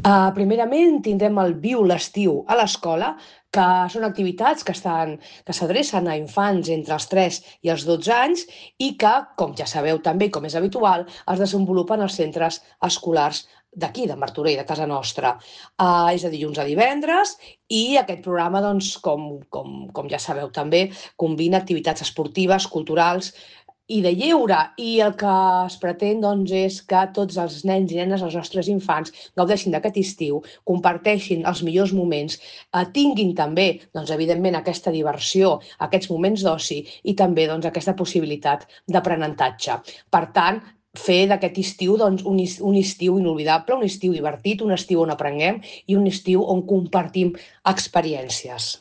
Primerament tindrem el Viu l'estiu a l'escola, que són activitats que s'adrecen a infants entre els 3 i els 12 anys i que, com ja sabeu també, com és habitual, es desenvolupen als centres escolars d'aquí, de Martorell, de casa nostra. És de dilluns a divendres i aquest programa, doncs, com ja sabeu també, combina activitats esportives, culturals i de lleure. I el que es pretén, doncs, és que tots els nens i nenes, els nostres infants, gaudeixin d'aquest estiu, comparteixin els millors moments, tinguin també, doncs, evidentment, aquesta diversió, aquests moments d'oci i també doncs, aquesta possibilitat d'aprenentatge. Per tant, fer d'aquest estiu doncs, un estiu inolvidable, un estiu divertit, un estiu on aprenguem i un estiu on compartim experiències.